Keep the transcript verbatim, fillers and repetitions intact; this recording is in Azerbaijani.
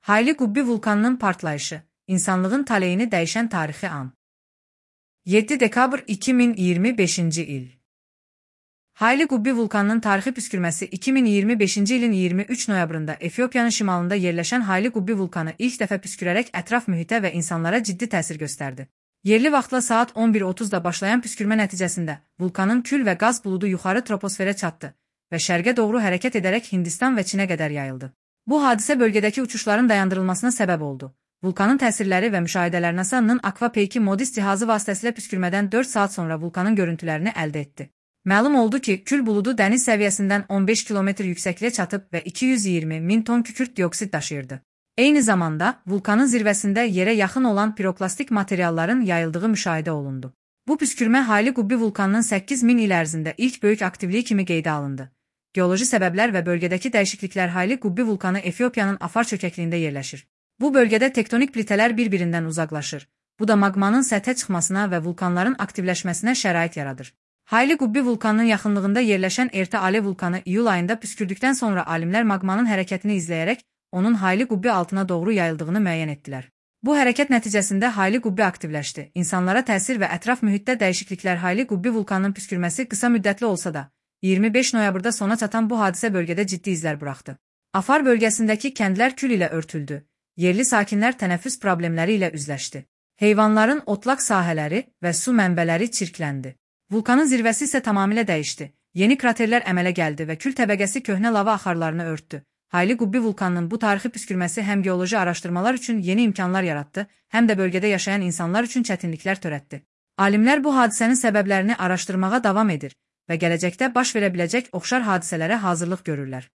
Hayli Qubbi vulkanının partlayışı, insanlığın taleyini dəyişən tarixi an. yeddi dekabr iki min iyirmi beşinci il. Hayli Qubbi vulkanının tarixi püskürməsi iki min iyirmi beşinci ilin iyirmi üç noyabrında Efiopiyanın şimalında yerləşən Hayli Qubbi vulkanı ilk dəfə püskürərək ətraf mühitə və insanlara ciddi təsir göstərdi. Yerli vaxtla saat on bir otuzda başlayan püskürmə nəticəsində vulkanın kül və qaz buludu yuxarı troposferə çatdı və şərqə doğru hərəkət edərək Hindistan və Çinə qədər yayıldı. Bu hadisə bölgədəki uçuşların dayandırılmasına səbəb oldu. Vulkanın təsirləri və müşahidələr NASA'nın Aquapeiki Modis cihazı vasitəsilə püskürmədən dörd saat sonra vulkanın görüntülərini əldə etdi. Məlum oldu ki, kül buludu dəniz səviyyəsindən on beş kilometr yüksəkliyə çatıb və iki yüz iyirmi min ton kükürt dioksid daşıyırdı. Eyni zamanda, vulkanın zirvəsində yerə yaxın olan piroklastik materialların yayıldığı müşahidə olundu. Bu püskürmə Hayli Qubbi vulkanının səkkiz min il ərzində ilk böyük aktivliyi kimi qeydə alındı. Geoloji səbəblər və bölgədəki dəyişikliklər Hayli Qubbi vulkanı Efiopiyanın Afar çökəkliyində yerləşir. Bu bölgədə tektonik plitələr bir-birindən uzaqlaşır. Bu da maqmanın səthə çıxmasına və vulkanların aktivləşməsinə şərait yaradır. Hayli Qubbi vulkanının yaxınlığında yerləşən Erta Alev vulkanı iyul ayında püskürdükdən sonra alimlər maqmanın hərəkətini izləyərək onun Hayli Qubbi altına doğru yayıldığını müəyyən etdilər. Bu hərəkət nəticəsində Hayli Qubbi aktivləşdi. İnsanlara təsir və ətraf mühitdə dəyişikliklər Hayli Qubbi vulkanının püskürməsi qısa müddətli olsa da, iyirmi beş noyabrda sona çatan bu hadisə bölgədə ciddi izlər buraxdı. Afar bölgəsindəki kəndlər kül ilə örtüldü. Yerli sakinlər tənəffüs problemləri ilə üzləşdi. Heyvanların otlaq sahələri və su mənbələri çirkləndi. Vulkanın zirvəsi isə tamamilə dəyişdi. Yeni kraterlər əmələ gəldi və kül təbəqəsi köhnə lava axarlarını örtdü. Hayli Qubbi vulkanının bu tarixi püskürməsi həm geoloji araşdırmalar üçün yeni imkanlar yaratdı, həm də bölgədə yaşayan insanlar üçün çətinliklər törətdi. Alimlər bu hadisənin səbəblərini araşdırmağa davam edir və gələcəkdə baş verə biləcək oxşar hadisələrə hazırlıq görürlər.